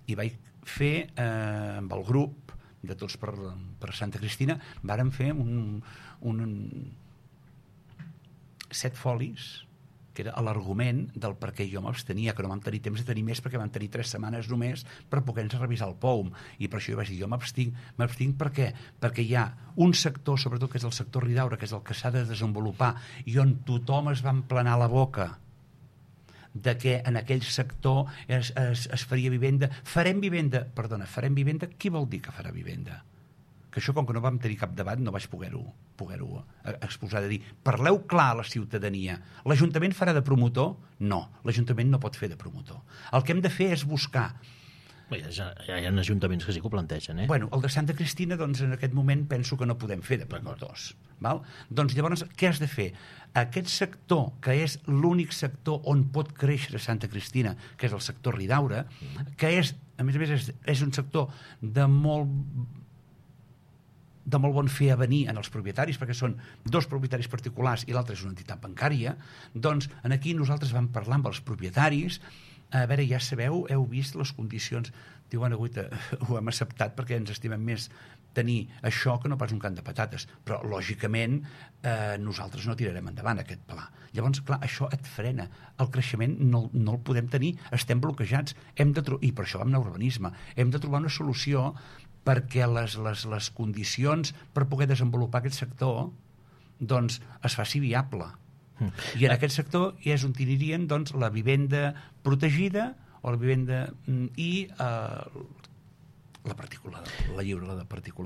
i vaig fer amb el grup de Tots per Santa Cristina, vàrem fer un 7 folis, que era l'argument del per què jo m'abstenia, que no vam tenir temps de tenir més perquè vam tenir 3 setmanes només per poder-nos revisar el POUM, i per això jo vaig dir, jo m'abstinc per què? Perquè hi ha un sector, sobretot que és el sector Ridaura, que és el que s'ha de desenvolupar, i on tothom es va emplenar la boca de que en aquell sector es faria vivenda. Farem vivenda, qui vol dir que farà vivenda? Que això, com que no vam tenir cap debat, no vaig poder-ho exposar, de dir, parleu clar a la ciutadania. L'Ajuntament farà de promotor? No, l'Ajuntament no pot fer de promotor. El que hem de fer és buscar. Ja hi ha ajuntaments que sí que ho plantegen, Bueno, el de Santa Cristina, doncs, en aquest moment penso que no podem fer de promotors. Val? Doncs llavors, què has de fer? Aquest sector, que és l'únic sector on pot créixer Santa Cristina, que és el sector Ridaura, que és, a més, és un sector de molt bon fer a venir en els propietaris, perquè són 2 propietaris particulars i l'altre és una entitat bancària, doncs aquí nosaltres vam parlar amb els propietaris, a veure, ja sabeu, heu vist les condicions, diuen, ho hem acceptat perquè ens estimem més tenir això que no pas un camp de patates, però lògicament nosaltres no tirarem endavant aquest pla. Llavors, clar, això et frena, el creixement no el podem tenir, estem bloquejats, i per això vam anar a urbanisme, hem de trobar una solució perquè les condicions per poder desenvolupar aquest sector doncs es faci viable. I en aquest sector és on anirien doncs, la vivenda protegida o la vivenda i la particular, la lliure, la de particular.